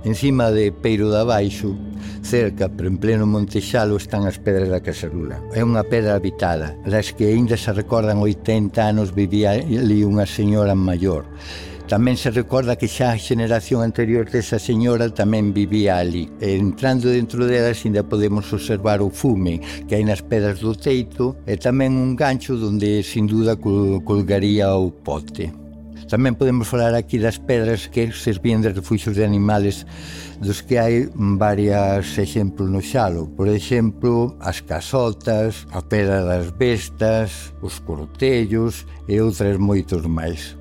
Encima de Peiro de Abaixo, cerca, pero en pleno Montexalo, están as pedras da Caserula. É unha pedra habitada, das que aínda se recordan 80 anos vivía ali unha señora maior. Tamén se recorda que xa a xeneración anterior desa señora tamén vivía ali. Entrando dentro delas ainda podemos observar o fume que hai nas pedras do teito e tamén un gancho donde sin duda colgaría o pote. Tamén podemos falar aquí das pedras que servían de refuxios de animales dos que hai varios exemplos no Xalo. Por exemplo, as casotas, a pedra das bestas, os cortellos e outras moitos máis.